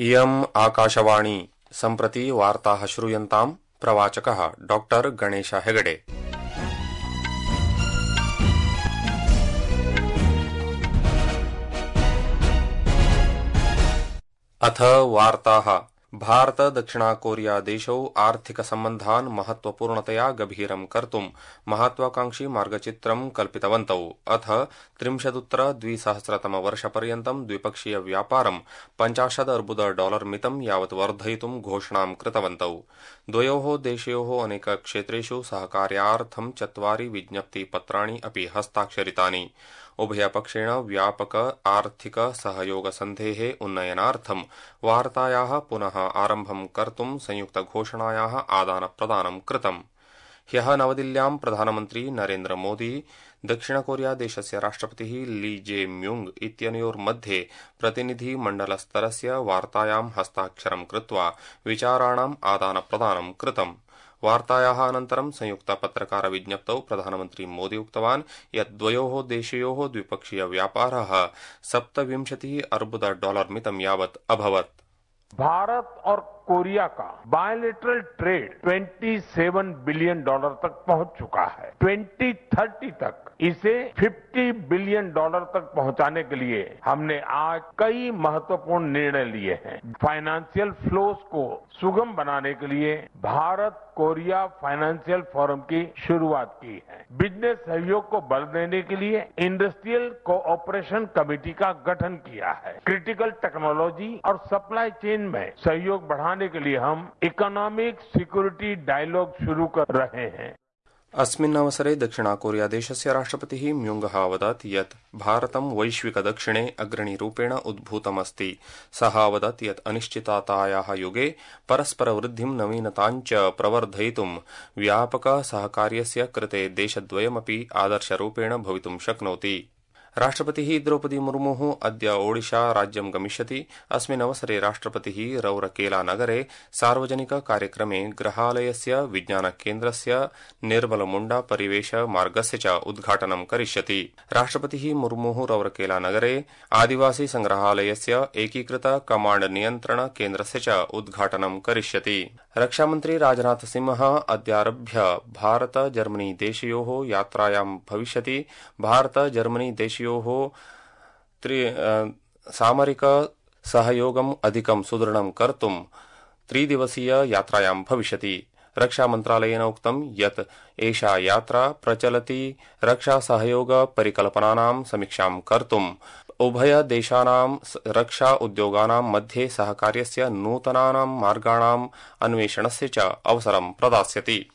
इयम् आकाशवाणी सम्प्रति वार्ताः श्रूयन्ताम् प्रवाचकः डॉक्टर गणेश हेगडे। अथ वार्ताः। भारत दक्षिण कोरिया देशौ आर्थिक सम्बन्धान् महत्वपूर्णतया गभीरं कर्तुं महत्वाकांक्षी मार्गचित्रं कल्पितवन्तौ। अथ 30-2000 द्विपक्षीय व्यापारं $50 अर्बुद मितं यावत् वर्धयितुं घोषणां कृतवन्तौ। द्वयोः देशयोः अनेक क्षेत्रेषु सहकार्यार्थं 4 विज्ञप्तिपत्राणि अपि हस्ताक्षरितानि। उभयपक्षेण व्यापक आर्थिक सहयोग सन्धेः उन्नयनार्थं वार्तायाः पुनः आरम्भं कर्तुं संयुक्तघोषणायाः आदानप्रदानं कृतम्। ह्यः नवदिल्ल्यां प्रधानमन्त्री नरेन्द्र मोदी दक्षिणकोरिया देशस्य राष्ट्रपतिः ली जे म्युंग इत्यनयोर्मध्ये प्रतिनिधिमण्डलस्तरस्य वार्तायां हस्ताक्षरं कृत्वा विचाराणाम् आदानप्रदानं कृतम्। वार्तायाः अनन्तरं संयुक्तपत्रकार विज्ञप्तौ प्रधानमन्त्री मोदी उक्तवान् यत् द्वयोः देशयोः द्विपक्षीय व्यापारः $27 अर्बुद मितं यावत् अभवत्। भारत और कोरिया का बायलैटरल ट्रेड $27 बिलियन तक पहुंच चुका है। 2030 तक इसे $50 बिलियन तक पहुंचाने के लिए हमने आज कई महत्वपूर्ण निर्णय लिए हैं। फाइनेंशियल फ्लोस को सुगम बनाने के लिए भारत कोरिया फाइनेंशियल फोरम की शुरुआत की है। बिजनेस सहयोग को बल देने के लिए इंडस्ट्रियल कोऑपरेशन कमेटी का गठन किया है। क्रिटिकल टेक्नोलॉजी और सप्लाई चेन में सहयोग बढ़ाने के लिए हम इकोनॉमिक सिक्योरिटी डायलॉग शुरू कर रहे हैं। अस्मिन् अवसरे दक्षिण कोरिया देशस्य राष्ट्रपतिः म्युंगः अवदत् यत् भारतं वैश्विक दक्षिणे अग्रणीरूपेण उद्भूतमस्ति। सः अवदत् यत् अनिश्चिततायाः युगे परस्परवृद्धिं नवीनताञ्च प्रवर्धयितुं व्यापक सहकार्यस्य कृते देशद्वयमपि आदर्शरूपेण भवितुं शक्नोति। राष्ट्रपतिः द्रौपदी मुर्मुः अद्य ओडिशा राज्यं गमिष्यति। अस्मिन् अवसरे राष्ट्रपतिः रौरकेला-नगरे सार्वजनिक कार्यक्रमे गृहालयस्य विज्ञानकेन्द्रस्य निर्मलमुण्डा परिवेश मार्गस्य च उद्घाटनं करिष्यति। राष्ट्रपतिः मुर्मुः रौरकेला-नगरे आदिवासी संग्रहालयस्य एकीकृत कमाण्ड नियन्त्रण केन्द्रस्य च उद्घाटनं करिष्यति। रक्षामन्त्री राजनाथ सिंहः अद्यारभ्य भारत जर्मनी देशयोः यात्रायां भविष्यति। भारत जर्मनी देशयोः सामरिक सहयोगम् अधिकं सुदृढं कर्तुं 3 दिवसीय यात्रायां भविष्यति। रक्षामन्त्रालयेन उक्तं यत् एषा यात्रा प्रचलति रक्षा सहयोग परिकल्पनानां समीक्षां कर्तुं उभय देशानां रक्षा उद्योगानां मध्ये सहकार्यस्य नूतनानां मार्गाणाम् अन्वेषणस्य च अवसरं प्रदास्यति।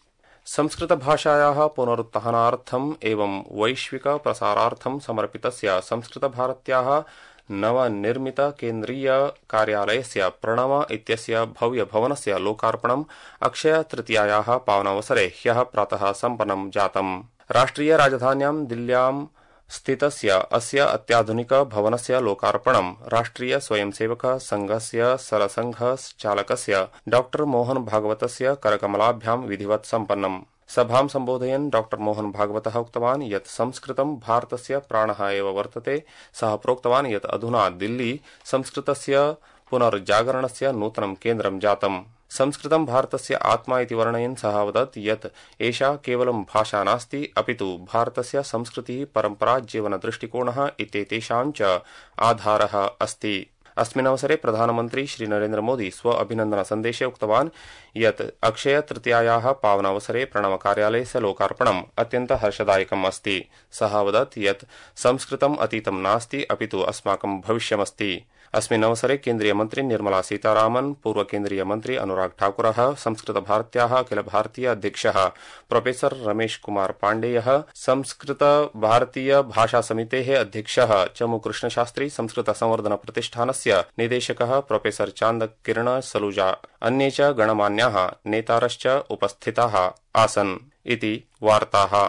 संस्कृतभाषायाः पुनरुत्थानार्थम् एवं वैश्विक प्रसारार्थं समर्पितस्य संस्कृतभारत्याः नवनिर्मित केन्द्रीय कार्यालयस्य प्रणव इत्यस्य भव्यभवनस्य लोकार्पणम् अक्षय तृतीयायाः पावनावसरे ह्यः प्रातः सम्पन्नं जातम्। राष्ट्रिय राजधान्यां दिल्ल्यां स्थितस्य अस्य अत्याधुनिक भवनस्य लोकार्पणं राष्ट्रिय स्वयंसेवक संघस्य सरसंघ चालकस्य डॉ मोहन भागवतस्य करकमलाभ्यां विधिवत् सम्पन्नम्। सभां सम्बोधयन् डॉ मोहन भागवतः उक्तवान् यत् संस्कृतं भारतस्य प्राणः एव वर्तते। सः प्रोक्तवान् यत् अधुना दिल्ली संस्कृतस्य पुनर्जागरणस्य नूतनं केन्द्रं जातम्। संस्कृतं भारतस्य आत्मा इति वर्णयन् सः अवदत् यत् एषा केवलं भाषा नास्ति अपितु भारतस्य संस्कृतिः परम्परा जीवनदृष्टिकोणः इत्येतेषां च आधारः अस्ति। अस्मिन् अवसरे प्रधानमन्त्री श्री नरेन्द्र मोदी स्व अभिनन्दन सन्देशे उक्तवान् यत् अक्षय तृतीयायाः पावनावसरे प्रणव कार्यालयस्य लोकार्पणम् अत्यन्त हर्षदायकम् अस्ति। सः अवदत् यत् संस्कृतम् अतीतं नास्ति अपितु अस्माकं भविष्यमस्ति। अस्मिन् अवसरे केन्द्रीय मन्त्री निर्मला सीतारामन्, पूर्व केन्द्रीय मन्त्री अनुराग ठाकुरः, संस्कृत भारत्याः अखिल भारतीय अध्यक्षः प्रोफेसर रमेश कुमार पाण्डेयः, संस्कृत भारतीय भाषा समितेः अध्यक्षः चमु कृष्णशास्त्री, संस्कृत संवर्धन प्रतिष्ठानस्य निदेशकः प्रोफेसर चान्द किरण सलूजा, अन्ये च गणमान्याः नेतारश्च उपस्थिताः आसन् इति वार्ताः।